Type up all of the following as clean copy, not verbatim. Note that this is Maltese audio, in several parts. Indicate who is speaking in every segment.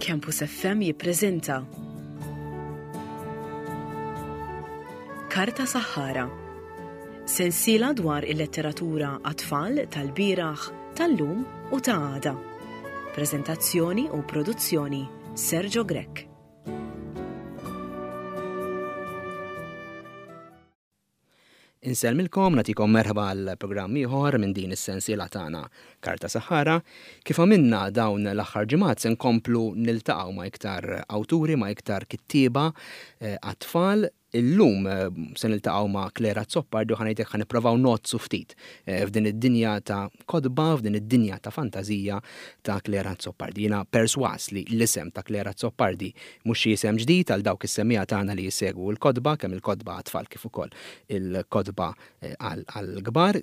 Speaker 1: Campus FM jippreżenta Karta Saħħara. Sensiela dwar il-letteratura għat-tfal tal-bieraħ, tal-lum u ta' għada. Preżentazzjoni u produzzjoni Sergio Grech.
Speaker 2: Insellmilkom, nagħtikom merħba għal programm ieħor minn din is-sensiela tagħna Karta Saħħara. Kif għamilna dawn l-aħħar ġimgħat se nkomplu niltaqgħu ma' iktar awturi, ma' iktar kittieba eh, għat-tfal. Illum eh, se niltaqgħu ma' Claire Azzopardi u ħanejtek ħa nipprovaw nozzu ftit eh, f'din id-dinja ta' kotba, f'din id-dinja ta' fantażija ta' Claire Azzopardi. Jiena perswas li l-isem ta' Claire Azzopardi Mhux xi isem ġdid għal dawk is-semmiegħa tagħna li jsegwu l-kotba, kemm il-kotba għat-tfal kif ukoll il-kotba għall-kbar.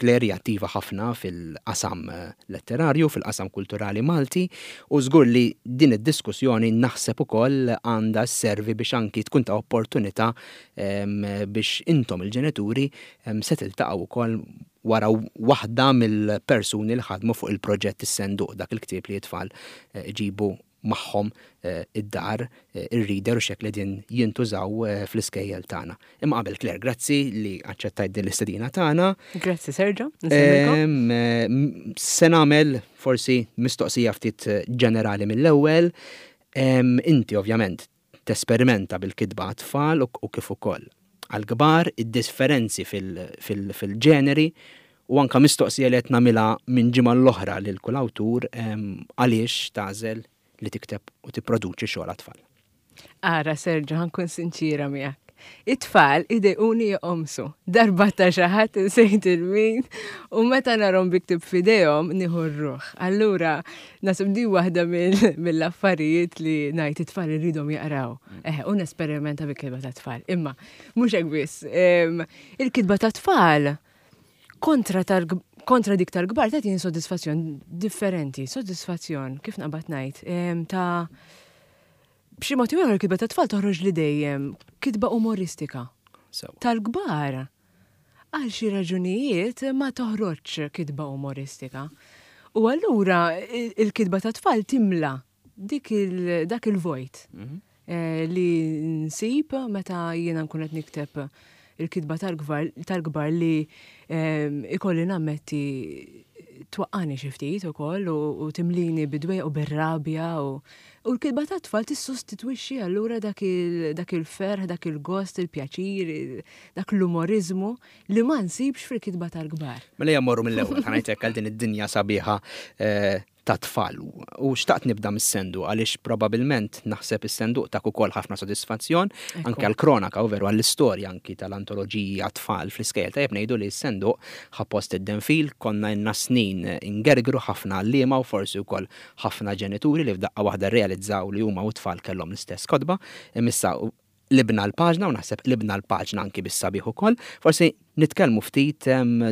Speaker 2: Claire hija attiva ħafna fil-qasam letterarju, fil-qasam kulturali Malti u żgur li din id-diskussjoni naħseb ukoll għandha sservi biex anki tkun ta' opportunità biex intom il-ġenituri se tiltaqgħu wkoll wara waħda mill-persuni li ħadmu fuq il-proġett Is-Senduq, dak il-ktieb li t-tfal iġibu magħhom id-dar, ir-reader u x'hekk li qegħdin jintużaw fl-iskejjel tagħna. Imma qabel Claire, grazzi li aċċettajt din l-istedina tagħna.
Speaker 3: Grazzi Sergio.
Speaker 2: Se nagħmel forsi mistoqsija ftit ġenerali mill-ewwel. Inti ovvjament tesperimenta bil-kitba għat-tfal u kif ukoll għall-kbar, id-differenzi fil-ġeneri u anke mistoqsija li qed nagħmilha minn ġimgħa l-oħra lil kull awtur għaliex tagħżel li tikteb u tipproduċi xogħol għat-tfal.
Speaker 3: Ara Sergio, ħa nkun sinċiera miegħek. It-tfal idejquni joqomsu. Darba ta' xi ħadd insejt il-min u meta narhom bi ktieb f'idejhom nieħu r-ruħ. Allura naħseb di waħda mill-affarijiet li ngħid it-tfal irridhom jaqraw. Eh, u nesperimenta bi kitba ta' tfal. Imma mhux hekk biss. Il-kitba ta' tfal kontra tal kontra dik tal-kbar tagħtini sodisfazzjon differenti, sodisfazzjon kif naqbad ngħid ta' B'xi mod jew ieħor il-kitba tat-tfal toħroġ li dejjem kitba umoristika. Tal-kbar għal xi raġunijiet ma toħroġx kitba umoristika. U allura il-kitba tat-tfal timla dik il, dak il-vojt mhm. eh, li nsib meta jiena nkun qed nikteb il-kitba tal-kbar li ehm, ikolli nammetti twaqqani xi ftit ukoll u timlini bidwejq u bir-rabja u l-kitba tat-tfal tissostitwixxi allura dak il-ferħ, dak il-gost, il-pjaċir, dak l-umoriżmu li ma nsibx fil-kitba tal-kbar.
Speaker 2: Mela ejja mmorru mill-ewwel, ħa ngħidlek għal din id-dinja sabiħa eh, ta' tfal. U xtaqt nibda mis-senduq għaliex probabilment naħseb is-senduq tak ukoll ħafna sodisfazzjon anke għall-kronaka u veru għall-istorja anki tal-antoloġiji għat-tfal fl-iskejjel. Tajjeb ngħidu li s-senduq ħa post id-denfil, konna ilna snin ingergru ħafna għalliema u forsi wkoll ħafna ġenituri li f'daqqa waħda rrealizzaw li huma u t-tfal kellhom l-istess kotba. Imma issa qlibna l-paġna u naħseb qlibna l-paġna anki bis-sabiħ ukoll. Forsi nitkellmu ftit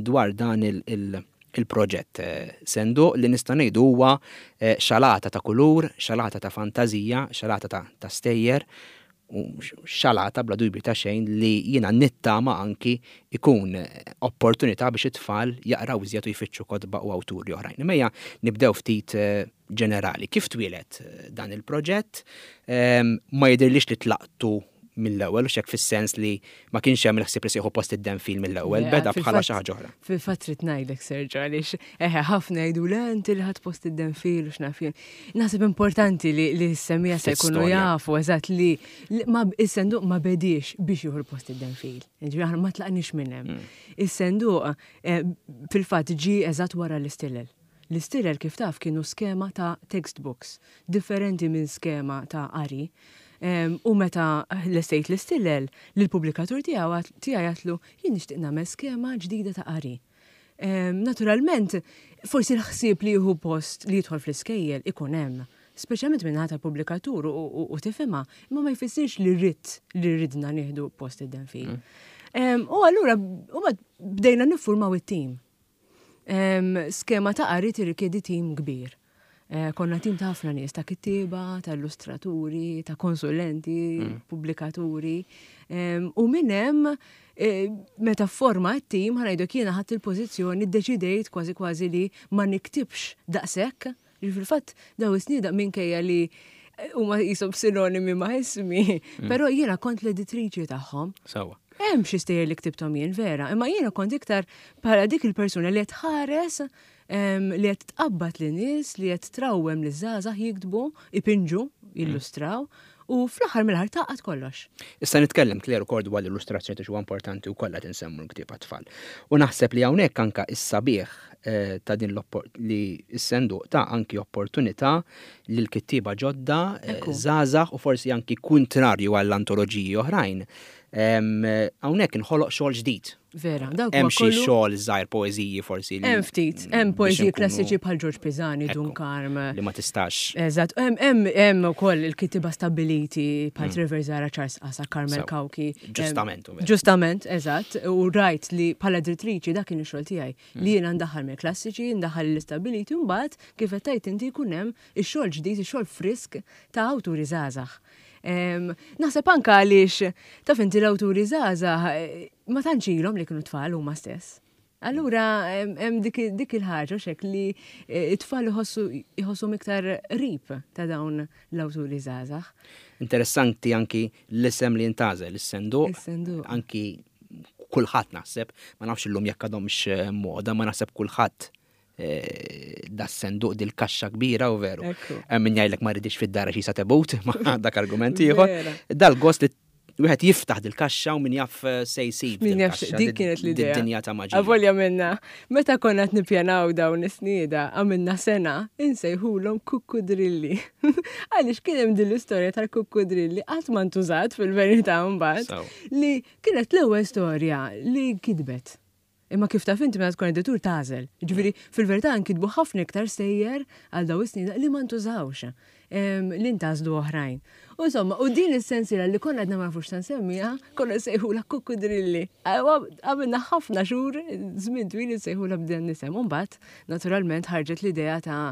Speaker 2: dwar dan il-proġett Senduq li nista' ngħidu huwa xalata ta' kulur, xalata ta' fantażija, xalata ta' stejjer u xalata bla dubju ta' xejn li jiena nittama anki jkun opportunità biex it-tfal jaqraw iżjed u jfittxu kotba u awturi oħrajn. Imma ejja nibdew ftit ġenerali. Kif twieled dan il-proġett? Ma jidhirlix li tlaqtu mill-ewwel, u xek fis-sens li ma kienx hemm il-ħsieb li sieħu post id-denfil mill-ewwel, beda bħala xi ħaġa oħra.
Speaker 3: Fil-fatt trid ngħidlek Sergio għaliex eħe ħafna jgħidu le inti li ħadd post id-denfil u x'naf jien. Naħseb importanti li li s-semija se jkunu jafu eżatt li ma is-senduq ma bediex biex jieħu l-post id-denfil. Ġifieri aħna ma tlaqniex minn hemm. Mm. Is-senduq eh, fil-fatt ġie eżatt wara l-istilel. L-istilel kif taf kienu skema ta' textbooks, differenti minn skema ta' qari. U meta lestejt l-istilel, lill-pubblikatur tiegħu tiegħi għedtlu jien nixtieq nagħmel skema ġdida ta' qari. Naturalment, forsi l-ħsieb li jieħu post li jidħol fl-iskejjel ikun hemm, speċjalment min-naħa tal-pubblikatur u tifhimha, imma ma jfissirx li ridt li ridna nieħdu post id-denfil. U allura bdejna niffurmaw it-tim. Skema ta' qari tirrikjedi tim kbir. Eh, konna tim ta' ħafna nies, ta' kittieba, ta' illustraturi, ta' konsulenti, mm. pubblikaturi. U minn hemm eh, meta forma t-tim ħanajdok jiena ħadd il-pożizzjoni ddeċidejt kważi kważi li ma niktibx daqshekk. Fil-fatt daw is-snin minkejja li huma qishom sinonimi ma' ismi, però jiena kont l-editriċi tagħhom.
Speaker 2: Sewwa.
Speaker 3: Hemm xi stejjer li ktibthom jien vera, imma jiena kont iktar bħala dik il-persuna li qed tħares li qed tqabbad lin nies, li qed trawwem liż-żgħażagħ jiktbu, ipinġu, jillustraw u fl-aħħar mill-aħħar tgħaqqad kollox.
Speaker 2: Issa nitkellem Claire ukoll dwar l-illustrazzjoni għax huwa importanti wkoll qed insemmu l-ktieb għat-tfal. U naħseb li hawnhekk anke s-sabiħ ta' din li s-senduq ta anki opportunità lil kittieba ġodda, żgħażagħ u forsi anki kuntrarju għall-antoloġiji oħrajn. Hawnhekk inħoloq xogħol ġdid.
Speaker 3: Vera, dawk
Speaker 2: Hemm xi xogħol żgħir poeżiji forsi.
Speaker 3: Hemm ftit, hemm poeżiji klassiċi bħal Ġorġ Pisani, Dun Karm.
Speaker 2: Li ma tistax.
Speaker 3: Eżatt, hemm hemm ukoll il-kittieba stabbiliti bħal Trevor Zahra, Charles Qasa, Carmel Cauchi.
Speaker 2: Ġustament.
Speaker 3: Ġustament, eżatt, u rajt li bħala editriċi dak kien ix-xogħol tiegħi li jiena ndaħħal mill-klassiċi, ndaħħal l-istabbiliti u mbagħad kif qed tgħid inti jkun hemm ix-xogħol ġdid, ix-xogħol frisk ta' awturi żgħażagħ. Naħseb anke għaliex taf inti l-awturi żgħażagħ eh, ma tantx ilhom li kienu tfal huma stess. Allura hemm dik il-ħaġa xek li eh, it-tfal iħossu iktar qrib ta' dawn l-awturi żgħażagħ.
Speaker 2: Interessanti anki l-isem li jintażel, is-senduq.
Speaker 3: Is-senduq.
Speaker 2: Anki kulħadd naħseb, ma nafx illum jekk għadhomx eh, moda, ma naħseb kulħadd Eh, da senduq dil-kaxxa kbira u veru. Hemm min jgħidlek ma rridix fid-dar xi tebut, ma dak argument ieħor. Dal-gost li wieħed jiftaħ dil-kaxxa u min jaf eh, se jsib.
Speaker 3: Min jaf dik kienet l-idea.
Speaker 2: Dinja ta' maġija.
Speaker 3: Avolja minna, meta konna qed nippjanaw dawn is-snieda, għamilna sena insejħulhom kukkudrilli. Għaliex kien hemm din l-istorja tal-kukkudrilli qatt ma ntużat fil-verità mbagħad li kienet l-ewwel storja li kitbet. Imma kif taf inti meta tkun editur tagħżel. Jiġifieri fil-verità nkitbu ħafna iktar stejjer għal dawn is-snin li ma ntużawx, li ntgħażlu oħrajn. U insomma, u din is-sensiela li konna għadna ma nafux ta' nsemmiha, konna nsejħulha kukkudrilli. Għamilna ħafna xhur, żmien twil insejħulha b'dan l-isem. U mbagħad, naturalment, ħarġet l-idea ta'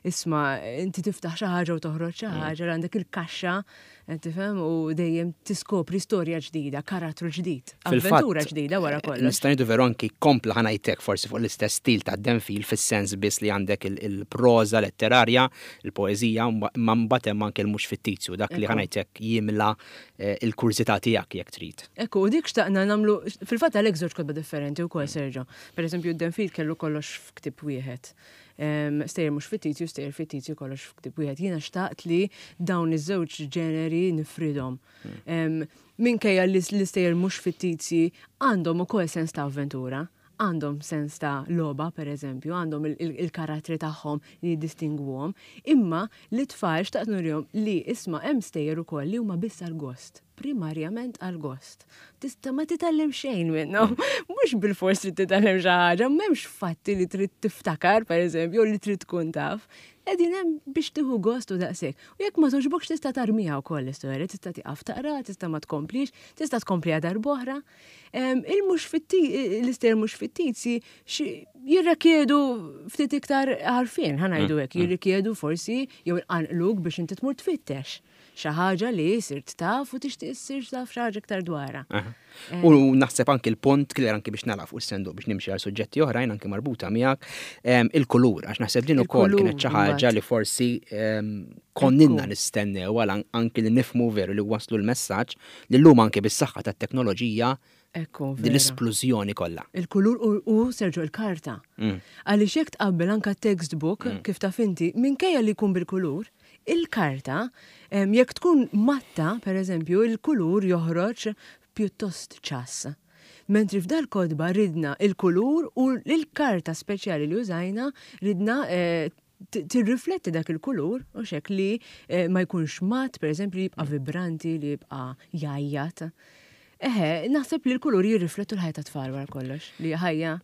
Speaker 3: isma' inti tiftaħ xi ħaġa u toħroġ xi ħaġa, għandek il-kaxxa Tifhem u dejjem tiskopri storja ġdida, karattru ġdid, avventura ġdida wara kollox.
Speaker 2: Nista' ngħidu veru anki kompla ħa ngħidlek forsi fuq l-istess stil ta' Denfil fis-sens biss li għandek il-proża letterarja, il-poeżija, imma mbagħad hemm anke l-mhux fittizju, dak li ħa ngħidlek jimla eh, il-kurżità tiegħek jekk trid.
Speaker 3: Ekku, u dik xtaqna nagħmlu fil-fatt għalhekk żewġ kotba differenti wkoll Sergio. Pereżempju d-Denfil kellu kollox f'ktieb wieħed. Stejjer mhux fittizju, stejjer fittizju kollox f'ktieb wieħed. Jiena xtaqt li dawn iż-żewġ ġeneri nifridhom. Hmm. Minkejja li l-istejjer mhux fittizji għandhom ukoll sens ta' avventura, għandhom sens ta' logħba pereżempju, għandhom il-karattri tagħhom li jiddistingwuhom, imma li tfal xtaqt nurihom li isma' hemm stejjer ukoll li huma biss għall-gost primarjament għal gost. Tista' ma titgħallem xejn minnhom. Mhux bilfors trid titgħallem xi ħaġa, m'hemmx fatti li trid tiftakar pereżempju li trid tkun taf. Qegħdin hemm biex tieħu gost u daqshekk. U jekk ma togħġbokx tista' tarmiha wkoll l-istorja, tista' tieqaf taqra, tista' ma tkomplix, tista' tkompliha darb'oħra. Il-mhux l-istejjer mhux fittizji jirrikjedu ftit iktar għarfien, ħa ngħidu hekk, mm. jirrikjedu forsi jew inqanqluk biex inti tmur tfittex. Xi ħaġa li sirt taf u tixtieq issir taf xi ħaġa iktar dwarha.
Speaker 2: Eh. U naħseb anki l-punt, Claire, anki biex nagħlaq fuq is-senduq biex nimxi għal suġġetti oħrajn anki marbuta miegħek, il-kulur, għax naħseb din ukoll kienet xi ħaġa li forsi konninna nistennew għal anki li nifmu veru li waslu l-messaġġ li llum anki bis-saħħa tat-teknoloġija
Speaker 3: Ekku,
Speaker 2: din l-isplużjoni kollha.
Speaker 3: Il-kulur u Sergio il-karta. Mm. Għaliex jekk tqabbel anka textbook mm. kif taf inti, minkejja li jkun bil-kulur, il-karta, jekk tkun matta, per eżempju, il-kulur joħroġ pjuttost ċass. Mentri f'dal kodba ridna il-kulur u l-karta speċjali li użajna ridna eh, tirrifletti dak il-kulur, u xek li eh, ma jkunx mat, per eżempju, li jibqa' vibranti, li jibqa' jajjat. Eħe, naħseb li l-kulur jirriflettu l-ħajja ta' tfal wara kollox, li ħajja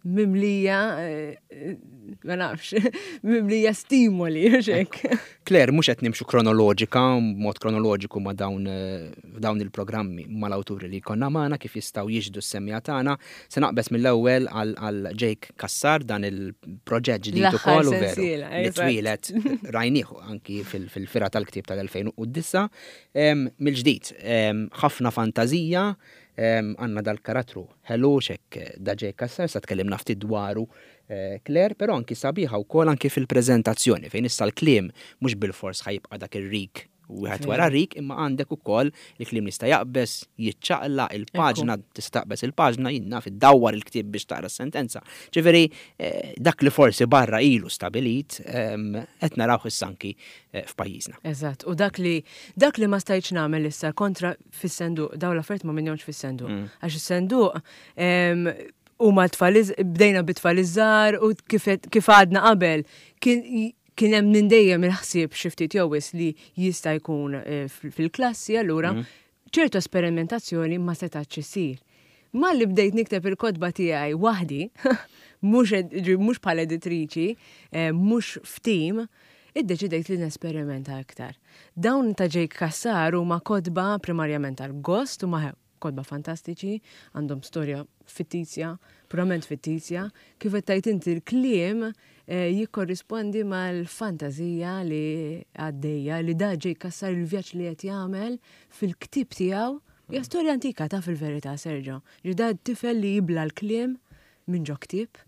Speaker 3: mimlija, eh, ma nafx, mimlija stimoli, xek.
Speaker 2: Claire, mhux qed nimxu kronoloġika, mod kronoloġiku ma' dawn eh, dawn il-programmi mal-awturi li jkollna magħna kif jistgħu jixhdu s-semmiegħa tagħna. Se naqbeż mill-ewwel għal Jake Cassar dan il-proġett ġdid ukoll u veru li twieled rajnieh anki fil-fira tal-ktieb tal-2009. Mill-ġdid, ħafna fantażija. Għandna dal-karattru ħelu x'hekk da Jake Cassar, sa tkellimna ftit dwaru Claire, però anki sabiħa wkoll anki fil-preżentazzjoni fejn issa l-kliem mhux bilfors ħa jibqa' dak ir-rik wieħed wara rik, imma għandek ukoll il-kliem li jista' jaqbeż, jiċċaqlaq, il-paġna tista' taqbeż il-paġna, jien naf iddawwar il-ktieb biex taqra s-sentenza. Ġifieri dak li forsi barra ilu stabilit qed narawh issa anki f'pajjiżna.
Speaker 3: Eżatt, u dak li dak li ma stajtx nagħmel issa kontra fis-senduq, dawn l-affarijiet ma minnhomx fis-senduq. Għax is-senduq huma t-tfal bdejna bit-tfal iż-żgħar u kif għadna qabel kien kien hemm minn dejjem il-ħsieb xi ftit jew wisq li jista' jkun fil-klassi, allura ċertu esperimentazzjoni ma setgħetx issir. Malli bdejt nikteb il-kotba tiegħi waħdi, mhux mhux bħala editriċi, mhux f'tim, iddeċidejt li nesperimenta iktar. Dawn ta' Jake Cassar huma kotba primarjament għall-gost, huma kotba fantastiċi, għandhom storja fittizja, purament fittizja, kif qed tgħid inti l-kliem jikkorrispondi mal-fantażija li għaddejja li da Jake Cassar il-vjaġġ li qed jagħmel fil-ktieb tiegħu. Hija storja antika ta' fil-verità, Sergio. Ġi da tifel li jibla l-kliem minn ġo ktieb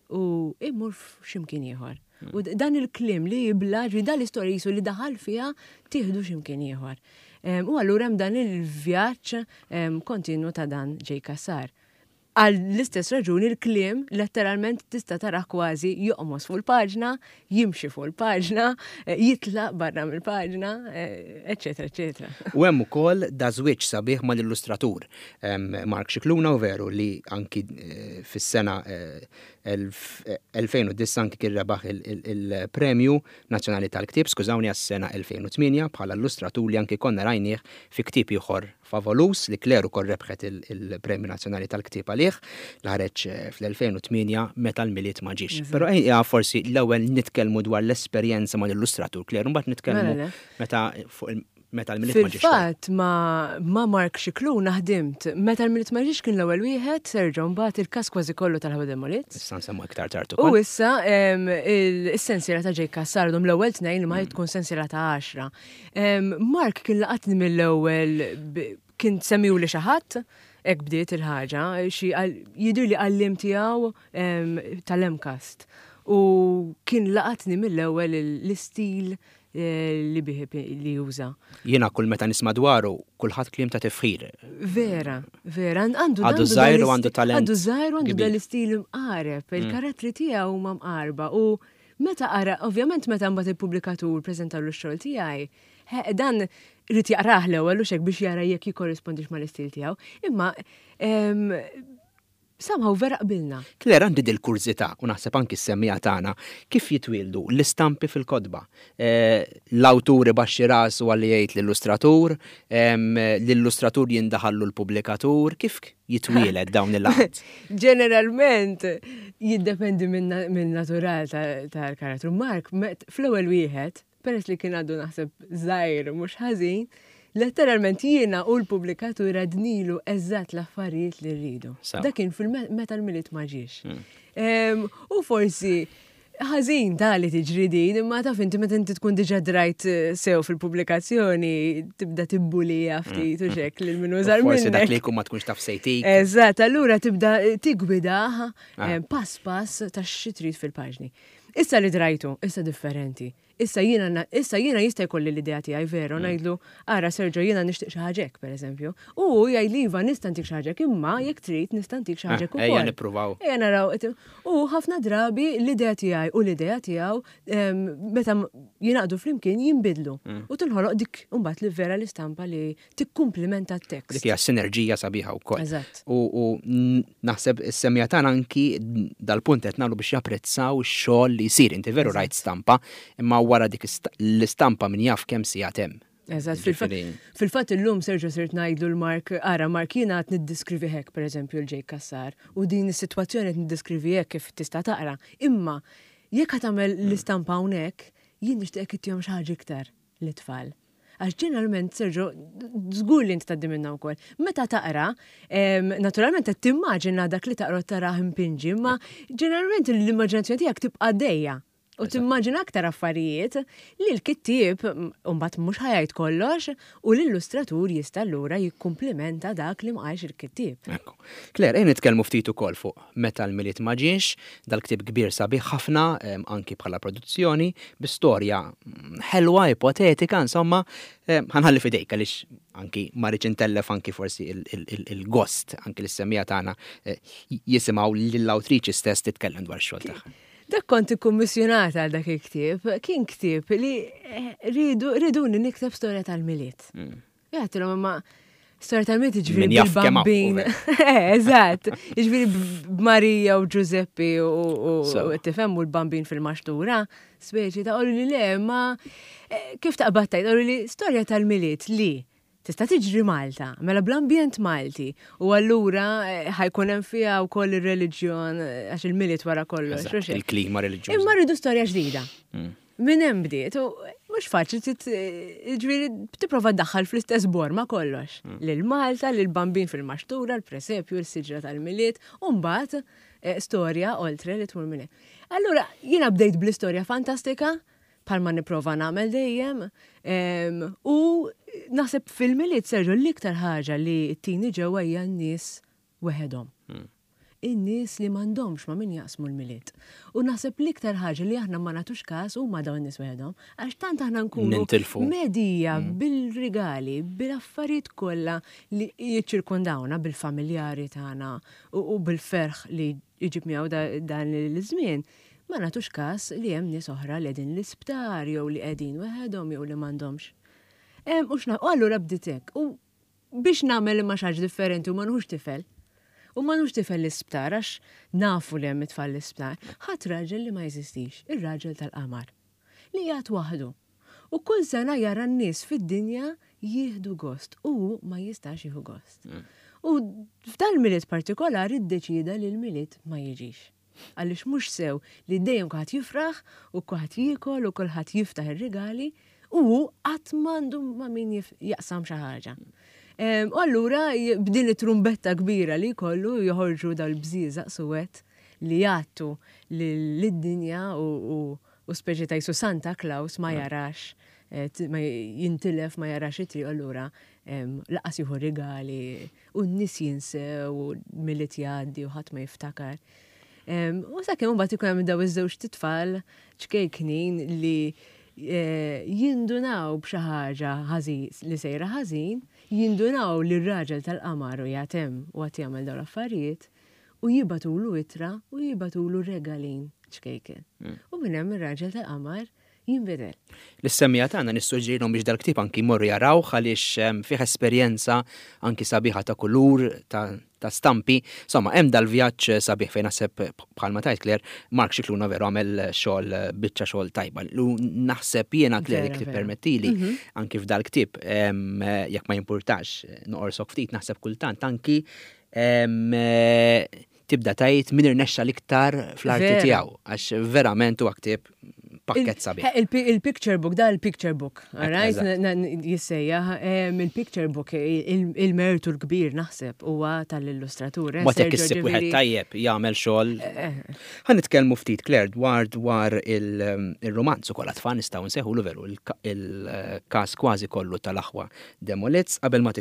Speaker 3: u imur f'ximkien ieħor. U dan il-kliem li jibla, ġi dan l-istorja jisu li daħal fiha tieħdu x'imkien ieħor. U allura hemm dan il-vjaġġ kontinu ta' dan Jake Cassar. Għal l-istess raġuni l-kliem letteralment tista' tarah kważi joqmos fuq il-paġna, jimxi fuq il-paġna, jitlaq barra mill-paġna, eċċetera, eċċetera.
Speaker 2: U hemm ukoll da żwieġ sabiħ mal-illustratur Mark Scicluna u veru li anki fis-sena 2009 anki kien rebaħ il-Premju Nazzjonali tal-Ktieb, skużawni għas-sena 2008 bħala illustratur li anki konna rajnieh fi ktieb ieħor Favolus li Claire ukoll rebħet il-Premju Nazzjonali tal-Ktieb għalih, li ħareġ fl-2008 Meta l-Milied ma ġiex. Però ejja forsi l-ewwel nitkellmu dwar l-esperjenza mal-illustratur Claire, u mbagħad nitkellmu meta fuq Meta l-Milied ma ġiex.
Speaker 3: Fil-fatt ma' Mark Scicluna ħdimt. Meta l-Milied ma ġiex kien l-ewwel wieħed, Sergio, mbagħad il-każ kważi kollu tal-Ħawa Demolit.
Speaker 2: Issa nsemmu iktar tard ukoll.
Speaker 3: U issa is-sensiela ta' Jake Cassar għadhom l-ewwel tnejn li ma tkun sensiela ta' għaxra. Mark kien laqatni mill-ewwel kien semmiwli xi ħadd, hekk bdiet il-ħaġa, xi jidhirli għalliem tiegħu tal-MCAST. U kien laqatni mill-ewwel l-istil eh, li bih li juża.
Speaker 2: Jiena kull meta nisma' dwaru, kulħadd kliem ta' tifħir.
Speaker 3: Vera, vera, għandu
Speaker 2: Għadu żgħir u għandu talent.
Speaker 3: Għadu żgħir u għandu dal-istil imqareb, mm. il-karattri tiegħu huma mqarba u Meta qara, ovvjament meta mbagħad il-pubblikatur preżentalu x-xogħol tiegħi, dan ried jaqrah l-ewwel u x'hekk biex jara jekk jikkorrispondix mal-istil tiegħu. Imma somehow vera qbilna.
Speaker 2: Claire, għandi dil-kurżità u naħseb anki s-semmiegħa tagħna, kif jitwieldu l-istampi fil-kotba? L-awtur ibaxxi rasu għalli jgħid l-illustratur, l-illustratur jindaħallu l-pubblikatur, kif jitwieled dawn il-laqgħat?
Speaker 3: Ġeneralment jiddependi min-natural tal-karattru. Mark, fl-ewwel wieħed, peress li kien għadu naħseb żgħir mhux ħażin, letteralment jiena u l-pubblikatur għadnilu eżatt l-affarijiet li rridu. Dak kien fil-meta l-Milied ma ġiex. Hmm. U forsi Ħażin ta' li tiġri din, imma taf inti meta inti tkun diġà drajt eh, sew fil-pubblikazzjoni tibda tibbulija ftit u xek lil min użar
Speaker 2: Forsi dak li jkun ma tkunx taf sejtik.
Speaker 3: Eżatt, allura tibda eh, tigwidah ah. eh, pass pass ta' xi trid fil-paġni. Issa li drajtu, issa differenti. Issa jiena issa jiena jista' jkolli l-idea tiegħi veru mm. ngħidlu ara Sergio jiena nixtieq xi ħaġa hekk pereżempju. U jgħidli iva nista' ntik xi ħaġa hekk imma jekk trid nista' ntik xi ħaġa hekk
Speaker 2: ukoll. Ejja nippruvaw.
Speaker 3: Ejja naraw. U ħafna drabi l-idea tiegħi u l-idea tiegħu meta jingħaqdu flimkien jinbidlu. Mm. U tinħoloq dik imbagħad li vera l-istampa li tikkumplimenta t-tekst.
Speaker 2: Dik hija sinerġija sabiħa wkoll.
Speaker 3: Eżatt.
Speaker 2: U naħseb is-semija tagħna anki dal-punt qed nagħmlu biex japprezzaw ix-xogħol li jsir. Inti veru rajt stampa, imma wara dik l-istampa min jaf kemm sigħat hemm.
Speaker 3: Eżatt, fil-fatt illum Sergio sirt ngħidlu l-Mark, ara Mark jiena qed niddiskrivi hekk pereżempju l Jake Cassar u din is-sitwazzjoni qed niddiskrivi hekk kif tista' taqra. Imma jekk ħa tagħmel l-istampa hawnhekk, jien nixtieqek ittihom xi ħaġa iktar lit-tfal. Għax ġeneralment, Sergio, żgur li inti tgħaddi minnha wkoll. Meta taqra, naturalment qed timmaġina dak li taqra tarah impinġi, imma ġeneralment l-immaġinazzjoni tiegħek tibqa' għaddejja. U timmaġina aktar affarijiet li l-kittieb mbagħad mhux ħa jgħid kollox u l-illustratur jista' allura jikkumplimenta dak li ma qalx il-kittieb.
Speaker 2: Ekku. Claire, ejja nitkellmu ftit ukoll fuq Meta l-Milied ma ġiex, dal-ktieb kbir sabiħ ħafna anki bħala produzzjoni, bi storja ħelwa, ipotetika, insomma, ħa nħalli f'idejk għaliex anki ma rridx intellef anki forsi il-gost anki lis-semmiegħa tagħna jisimgħu lill-awtriċi stess titkellem dwar ix-xogħol tagħha.
Speaker 3: Dak kont ikkummissjonata għal dak il-ktieb, kien ktieb li eh, ridu riduni nikteb storja tal-Milied. Mm. Jgħatilhom imma storja tal-Milied jiġifieri bil-bambin. Eh, eżatt, jiġifieri b'Marija u Ġużeppi u tifhem u l-bambin fil-maxtura, speċi ta' li le, ma eh, kif taqbad tgħid, li storja tal-Milied li Tista' tiġri Malta, mela bl-ambjent Malti, u allura eh, ħajkun hemm fiha wkoll ir-reliġjon eh, għax il-Milied wara kollox.
Speaker 2: Il-klima reliġjuża.
Speaker 3: Imma rridu storja ġdida. Mm. Minn hemm bdiet, u mhux faċli eh, ġifieri tipprova ddaħħal fl-istess borma kollox. Mm. Lil Malta, lil bambin fil-maxtura, l-presepju, l-siġra tal-Milied, u mbagħad storja oltre li tmur minn hemm. Allura jiena bdejt bl-istorja fantastika, bħalma nipprova nagħmel dejjem. U naħseb fil-Milied Sergio l-iktar ħaġa li ttini ġewwa hija n-nies weħedhom. Hmm. In-nies li m'għandhomx ma' min jaqsmu l-Milied. U naħseb l-iktar ħaġa li aħna ma nagħtux każ huma dawn in-nies weħedhom, għax tant aħna nkunu medija hmm. bil-rigali, bil-affarijiet kollha li jiċċirkondawna bil-familjari tagħna u bil-ferħ li jġib miegħu dan l-żmien Ma nagħtux każ li hemm nies oħra li qegħdin l-isptar jew li qegħdin weħedhom jew li m'għandhomx. U x'na, u allura bdiet hekk. U biex nagħmel imma xi ħaġa differenti u ma nħux tifel. U ma nħux tifel l-isptar għax nafu li hemm it-tfal l-isptar. Ħadd raġel li ma jeżistix, ir-raġel tal-qamar. Li qiegħed waħdu. U kull sena jara n-nies fid-dinja jieħdu gost u hu ma jistax jieħu gost. Mm. U f'dal-Milied partikolari ddeċieda li l-Milied ma jiġix. Għaliex mhux sew li dejjem kulħadd jifraħ u kulħadd jiekol u kulħadd jiftaħ ir-rigali u hu qatt m'għandu ma' min jaqsam xi ħaġa. U allura b'din it-trumbetta kbira li jkollu joħorġu dal-bżieżaq suwed li jgħattu lid-dinja u speċi ta' jisu Santa Claus ma jarax, eh, ma jintilef ma jarax it-triq allura laqas jieħu rigali u n-nies jinsew u Milied jgħaddi u ħadd ma jiftakar. U sakemm imbagħad ikun hemm daw iż-żewġt itfal ċkejknin li eh, jindunaw b'xi ħaġa li sejra ħażin, jindunaw li r-raġel tal-qamar u jatem u għad jagħmel dawn l-affarijiet u jibatulu ittra u jibatulu regalin ċkejken. Mm. U minn hemm ir-raġel tal-qamar jinbidel.
Speaker 2: Lis-semmiegħa tagħna nissuġġerilhom biex dal-ktieb anki jmorru jarawh għaliex fih esperjenza anki sabiħa ta' kulur, ta' stampi. Insomma, hemm dal-vjaġġ sabiħ fejn naħseb bħalma tgħid Claire, Mark Scicluna veru għamel xogħol biċċa xogħol tajba. Lu naħseb jiena Claire jekk tippermettili mhm. anki f'dal-ktieb jekk ma jimpurtax noqorsok ftit naħseb kultant anki tibda tgħid min irnexxa l-iktar fl-arti tiegħu għax verament huwa ktieb pakkett sabiħ.
Speaker 3: Il-picture book, da il-picture book, right? Jissejjaħ, il-picture book, il-mertu l-kbir naħseb huwa tal-illustratur. Eh,
Speaker 2: Ma tek issib wieħed tajjeb jagħmel xogħol. Eh, eh. Ħa nitkellmu ftit Claire dwar dwar il-romanz ukoll għat-tfal nistgħu nsejħulu veru il-każ kważi kollu tal-aħwa Demolitz qabel ma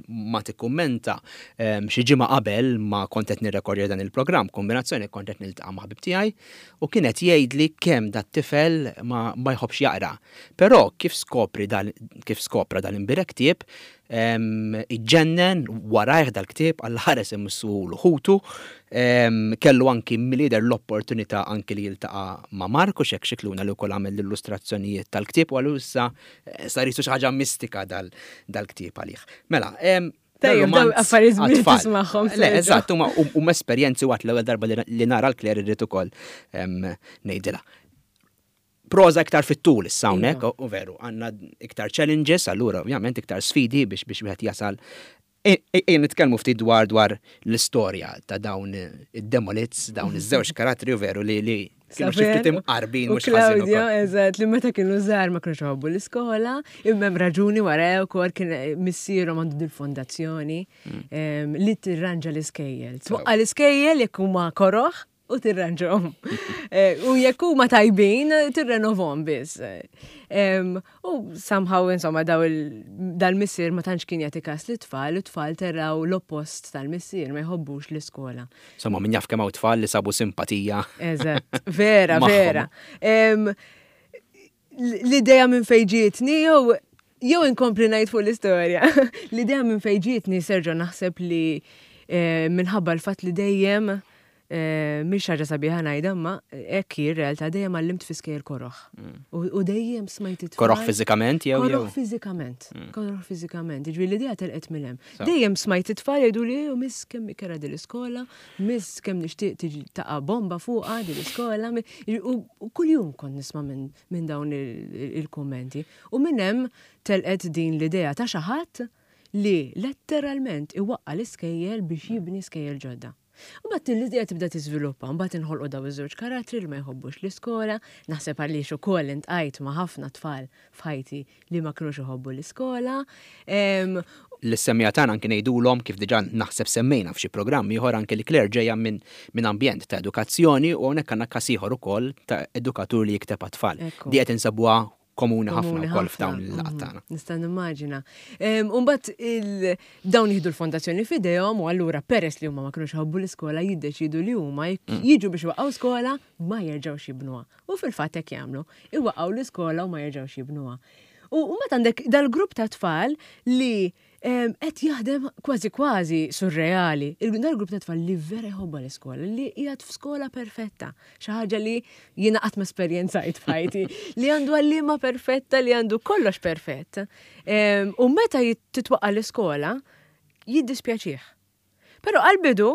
Speaker 2: ma tikkummenta xi ġimgħa qabel ma kont qed nirrekordja dan il-programm, kombinazzjoni kont qed niltaqa' ma' ħabib tiegħi u kien qed jgħidli kemm dat-tifel ma, ma jħobbx jaqra. Però kif skopri dan kif skopra dan imbirek ktieb, iġġennen warajh dal-ktieb għal ħares imissuhulu ħutu, kellu anki milli l-opportunità anki li jiltaqa' ma' Marku Xek Xikluna li wkoll għamel l-illustrazzjonijiet tal-ktieb u għallu issa Sar jisu xi ħaġa mistika dal-ktieb għalih. Mela,
Speaker 3: Tajjeb, daw affarijiet li tismagħhom.
Speaker 2: Le, eżatt, huma esperjenzi waqt l-ewwel darba li nara l-Claire irrid ukoll ngħidilha. Proza iktar fit-tul issa hawnhekk, iva. u veru, għandna iktar challenges, allura ovvjament iktar sfidi biex biex wieħed jasal Ejja nitkellmu ftit dwar dwar l-istorja ta' dawn id-demolits, dawn iż-żewġ karattri u veru li li kienu xi ftit imqarbin
Speaker 3: mhux ħażin. Claudio, eżatt, li meta kienu żgħar ma kienux iħobbu l-iskola, imma hemm raġuni wara wkoll kien missierhom għandu dil-fondazzjoni mm. li tirranġa l-iskejjel. Twaqqa l-iskejjel jekk huma koroħ. u tirranġhom. Eh, u jekk huma tajbin, tirrenovhom biss. U somehow insomma daw dal-missier ma tantx kien jagħti każ li tfal, u tfal terraw l-oppost tal-missier ma jħobbux l-iskola.
Speaker 2: Insomma, min jaf kemm hawn tfal li sabu simpatija.
Speaker 3: Eżatt, vera, vera. L-idea minn fejn ġietni jew jew inkompli ngħid fuq l-istorja. L-idea minn fejn ġietni Sergio naħseb li eh, minħabba l-fatt li dejjem eh, mhix ħaġa sabiħa ngħidha imma hekk hi r-realtà dejjem għallimt fi skejjel koroħ. Mm. U dejjem smajt it
Speaker 2: Koroħ fiżikament jew
Speaker 3: jew? Koroħ fiżikament. Mm. Koroħ fiżikament. Jiġifieri l-idea telqet minn hemm. Dejjem smajt it-tfal jgħidu li oh, miss kemm ikera din l-iskola, miss kemm nixtieq tiġi taqa' bomba fuqha din l-iskola. U kuljum kont nisma' minn dawn il-kummenti. U minn hemm telqet din l-idea ta' xi ħadd li letteralment iwaqqa' l-iskejjel biex jibni skejjel ġodda. U mbagħad din l-idea tibda tiżviluppa, mbagħad inħolqu daw iż-żewġ karattri li ma jħobbux l-iskola, naħseb għaliex ukoll intqajt ma' ħafna tfal f'ħajti li ma kinux iħobbu l-iskola.
Speaker 2: Lis-semmiegħa tagħna anki ngħidulhom, kif diġà naħseb semmejna f'xi programm ieħor anki li Claire ġejja minn minn ambjent ta' edukazzjoni u hawnhekk għandna każ ieħor ukoll ta' edukatur li jikteb għat-tfal. Di qed insabuha komuni ħafna wkoll f'dawn il-laqgħat tagħna.
Speaker 3: Nista' nimmaġina. U mbagħad dawn jieħdu l-fondazzjoni f'idejhom u allura peress li huma ma kinux iħobbu l-iskola jiddeċiedu li huma jiġu biex iwaqqgħu skola ma jerġgħux jibnuha. U fil-fatt hekk jagħmlu. Iwaqqgħu l-iskola u ma jerġgħux jibnuha. U mbagħad għandek dal-grupp ta' tfal li qed jaħdem kważi kważi surreali. Dal-grupp ta' tfal li vera jħobba l-iskola, li qiegħed f'skola perfetta, xi ħaġa li jiena qatt ma esperjenzajt f'ħajti, li għandu għalliema perfetta, li għandu kollox perfett. U meta titwaqqa' l-iskola, jiddispjaċih. Però għall-bidu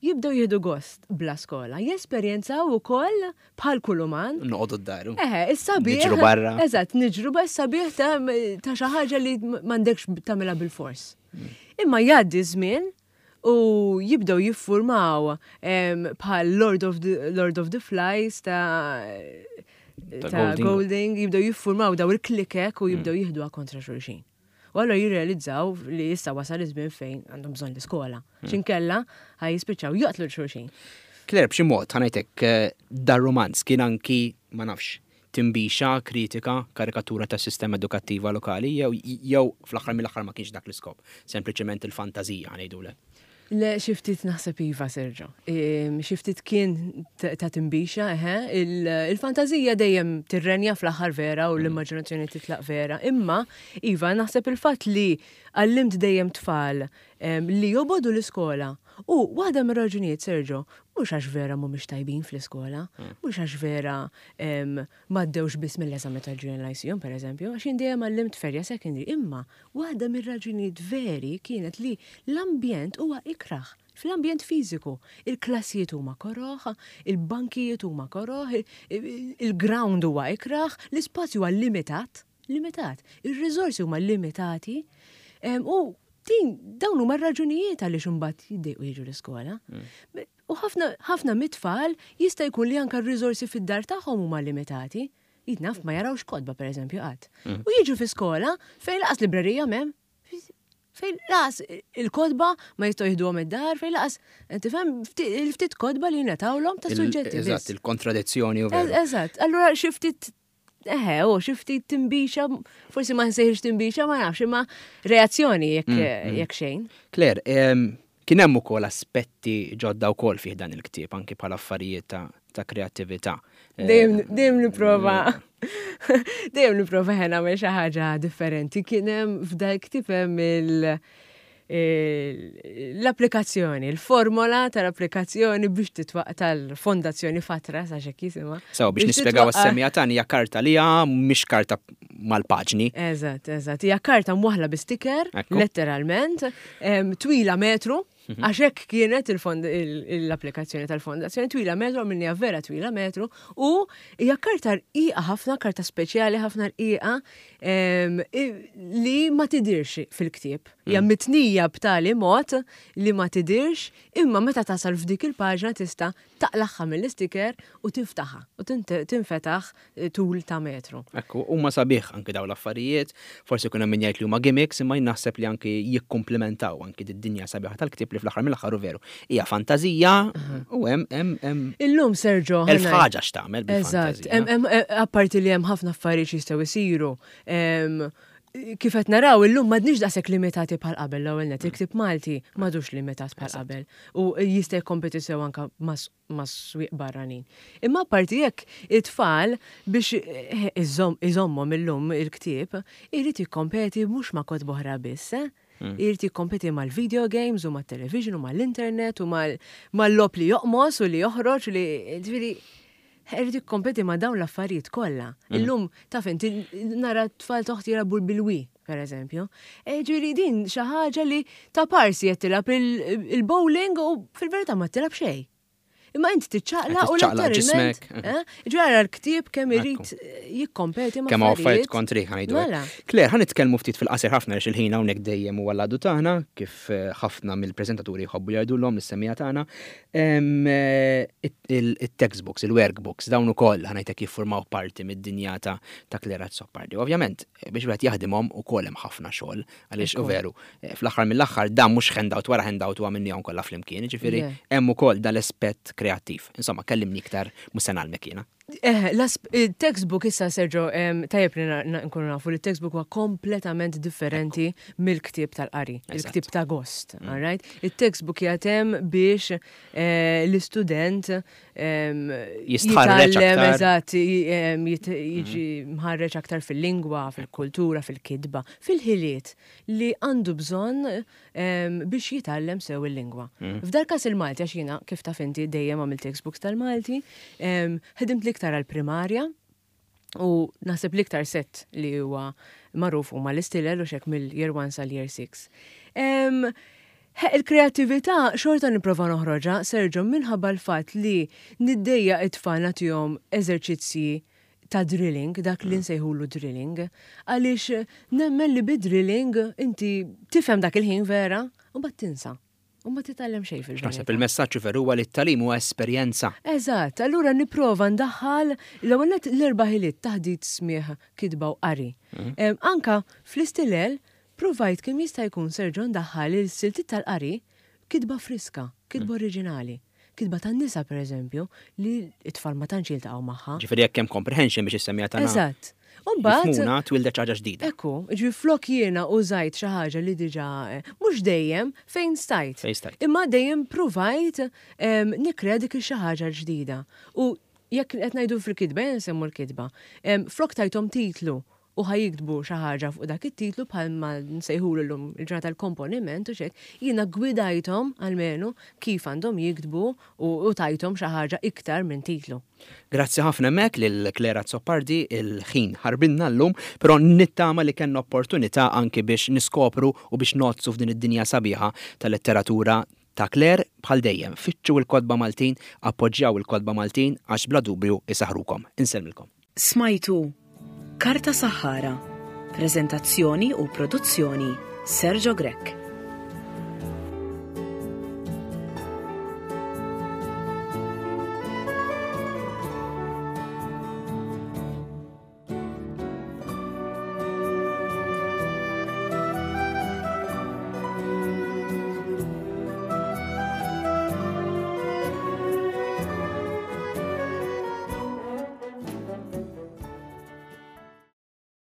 Speaker 3: jibdew jieħdu gost bla skola, jesperjenzaw ukoll bħal kull uman.
Speaker 2: Noqogħdu d-dar.
Speaker 3: Eħe, is-sabiħ.
Speaker 2: Niġru barra.
Speaker 3: Eżatt, niġru ba sabiħ ta' xi ħaġa li m'għandekx tagħmilha bil-fors. Mm. Imma jgħaddi żmien u jibdew jiffurmaw bħal Lord of the, Lord of the Flies ta' ta' Golding, jibdew jiffurmaw daw il-klikek u jibdew mm. jieħduha kontra xulxin. U allura jirrealizzaw li issa wasal iż-żmien fejn għandhom bżonn l-iskola. Hmm. X'inkella ħaj jispiċċaw joqtlu l-xulxin.
Speaker 2: Claire, b'xi mod, ħanajtek eh, dar romanz kien anki, ma nafx, timbixa, kritika, karikatura tas sistema edukattiva lokali, jew jew fl-aħħar mill-aħħar ma kienx dak l-iskop, sempliċement il-fantażija ngħidulek.
Speaker 3: Le, xi ftit naħseb iva, Sergio. Xi ftit kien ta' timbixa, eħe. Il-fantażija dejjem tirrenja fl-aħħar vera u l-immaġinazzjoni titlaq vera. Imma, iva, naħseb il-fatt li għallimt dejjem tfal li jobogħdu l-iskola. U waħda mir-raġunijiet, Sergio, mhux għax vera mhumiex tajbin fl-iskola, mhux għax vera m'għaddewx biss mill-eżami tal-Junior Lyceum, pereżempju, għax jien dejjem għallimt f'area secondary, imma Waħda mir-raġunijiet veri kienet li l-ambjent huwa ikrah, fl-ambjent fiżiku. Il-klassijiet huma koroh, il-bankijiet huma koroh, il-ground huwa ikrah, l-ispazju huwa limitat, limitat. Ir-riżorsi huma limitati u din dawn huma r-raġunijiet għaliex imbagħad jiddejqu jiġu l-iskola. Mm. U ħafna ħafna mit-tfal jista' jkun li anke r-riżorsi fid-dar tagħhom huma limitati. Jien naf ma jarawx kotba pereżempju qatt. Mm. U jiġu fi skola fejn laqas librerija m'hemm. Fejn laqas il-kotba ma jistgħu jieħduhom id-dar, fejn laqas tifhem il-ftit kotba li jingħatawlhom ta' suġġetti.
Speaker 2: Eżatt, il-kontradizzjoni u
Speaker 3: Eżatt, allura xi ftit Eħe, u xi ftit timbixa, forsi ma nsejħx timbixa, ma nafx, imma reazzjoni jekk mm, mm. jekk xejn.
Speaker 2: Claire, Kien hemm ukoll aspetti ġodda wkoll fih dan il-ktieb, anki bħala affarijiet ta', ta kreattività.
Speaker 3: Eh, dejjem dejjem nipprova dejjem nipprova ħe nagħmel xi ħaġa differenti. Kien hemm f'dal ktieb hemm il- l-applikazzjoni, il-formola tal-applikazzjoni biex titwaq tal-fondazzjoni Fatra, sa xek jisimha.
Speaker 2: Sew biex nispjegaw għas-semija tagħni hija karta li hija mhix karta mal-paġni.
Speaker 3: Eżatt, eżatt. Hija karta mwaħla bi sticker, letteralment, twila metru, mhm. għax hekk kienet l-applikazzjoni tal-fondazzjoni twila metru, għamilniha vera twila metru, u hija karta rqiqa ħafna, karta speċjali ħafna rqiqa li ma tidirx fil-ktieb. Hija mm. mitnija b'tali mod li ma tidirx, imma meta tasal f'dik il-paġna tista' taqlagħha mill-istiker u tiftaħha u tinfetaħ tul ta' metru.
Speaker 2: Ekku, huma sabiħ anki dawn l-affarijiet, forsi jkun hemm min jgħid li huma gimmicks, imma jien naħseb li anki jikkumplimentaw anki d-dinja sabiħa tal-ktieb. ktieb li fl-aħħar mill-aħħar hu veru. Hija fantażija u hemm hemm hemm
Speaker 3: Illum Sergio
Speaker 2: elf ħaġa x'tagħmel
Speaker 3: bil-fantażija. Eżatt, apparti li hemm ħafna affarijiet jistgħu jsiru. Kif qed naraw illum m'għadniex daqshekk limitati bħal qabel l-ewwel net, il-ktieb Malti m'għadux limitat bħal qabel u jista' jikkompeti sew anke mas-swieq barranin. Imma apparti hekk it-tfal biex iżommhom illum il-ktieb irid jikkompeti mhux ma' kotba oħra biss, eh? Irid jikkompeti mal-video games u mat-television u mal-internet u mal-logħob li joqmos u li joħroġ u li ġifieri irid jikkompeti ma' dawn l-affarijiet kollha. Illum taf inti nara t-tfal toħti jilagħbu bil-Wii, per eżempju. E, ġifieri din xi ħaġa li ta' parsi qed tilgħab il-bowling u fil-verità ma tilgħab xejn. Imma int tiċċaqlaq u letteralment. Eh? Ġara l-ktieb kemm irid jikkompeti ma'
Speaker 2: Kemm affarijiet kontri ħanajdu. Mela. Claire, ħan nitkellmu ftit fil-qasir ħafna għax il-ħin hawnhekk dejjem huwa l-għadu tagħna, kif eh, ħafna mill-preżentaturi jħobbu jgħidulhom is-semija tagħna. Eh, il-textbooks, il-workbooks, dawn ukoll ħanajtek jiffurmaw parti mid-dinja ta' Claire Azzopardi. Ovvjament, biex wieħed jaħdimhom ukoll hemm ħafna xogħol, għaliex u veru, eh, fl-aħħar mill-aħħar dan mhux handout wara handout u għamilnihom kollha flimkien, jiġifieri hemm ukoll dal-aspett kreattiv. Insomma, kellimni iktar mhux se ngħallmek jiena.
Speaker 3: Eh, il-textbook issa Sergio, tajjeb li nkunu nafu li textbook huwa kompletament differenti mill-ktieb tal-qari, il-ktieb ta' gost, mm. alright? Il-textbook jagħtem biex eh, l-istudent
Speaker 2: jistħarreġ
Speaker 3: eżatt jiġi mhm. mħarreġ aktar fil-lingwa, fil-kultura, fil-kitba, fil-ħiliet li għandu bżonn biex jitgħallem sew il-lingwa. Mhm. F'dal każ il-Malti għax jiena kif taf inti dejjem għamilt textbooks tal-Malti, ħedimt l-iktar għall-primarja u naħseb l-iktar set li huwa magħruf huma l-istilel u xek mill-year 1 sal-year 6. Il-kreattività xorta nipprova noħroġha, Sergio, minħabba l-fatt li niddejjaq it-tfal nagħtihom eżerċizzji ta' drilling, dak li nsejħulu drilling, għaliex nemmen li bid-drilling inti tifhem dak il-ħin vera u mbagħad tinsa. U ma titgħallem xejn fil-verità.
Speaker 2: Naħseb il-messaġġ veru huwa li t-tagħlim huwa esperjenza.
Speaker 3: Eżatt, allura nipprova ndaħħal l-ewwel nett l-erba' ħiliet taħdit smigħ, kitba u qari. Mm. Anka fl-istilel Pruvajt kemm jista' jkun Sergio ndaħħal il-siltiet tal-qari b'kitba friska, kitba oriġinali. Kitba tan-nisa pereżempju, li t-tfal ma tantx jiltaqgħu magħha.
Speaker 2: Ġifieri jekk hemm comprehension biex issemmiha tagħna.
Speaker 3: Eżatt. U mbagħad.
Speaker 2: Jifhmuna twieldet xi ħaġa ġdida.
Speaker 3: Ekku, jiġifieri flok jiena użajt xi ħaġa li diġà, mhux dejjem, fejn stajt.
Speaker 2: Fejn stajt.
Speaker 3: Imma dejjem pruvajt nikkrea dik ix-xi ħaġa l-ġdida. U jekk qed ngħidu fil-kitba, ejja nsemmu l-kitba. Flok tajthom titlu u ħa jiktbu xi ħaġa fuq dak it-titlu bħal ma nsejħulu llum il-ġurnata l-komponiment u xek, jiena gwidajthom almenu kif għandhom jiktbu u tajthom xi ħaġa iktar minn titlu.
Speaker 2: Grazzi ħafna hemmhekk lil Claire Azzopardi, il-ħin ħarbinna llum, però nittama li kellna opportunità anki biex niskopru u biex ngħoddsu f'din id-dinja sabiħa tal-letteratura ta' Claire. Bħal dejjem, fittxu l-kotba Maltin, appoġġjaw il-kotba Maltin għax bla dubju isaħħrukom. Insellmilkom.
Speaker 1: Smajtu Karta Saħħara, preżentazzjoni u produzzjoni Sergio Grech.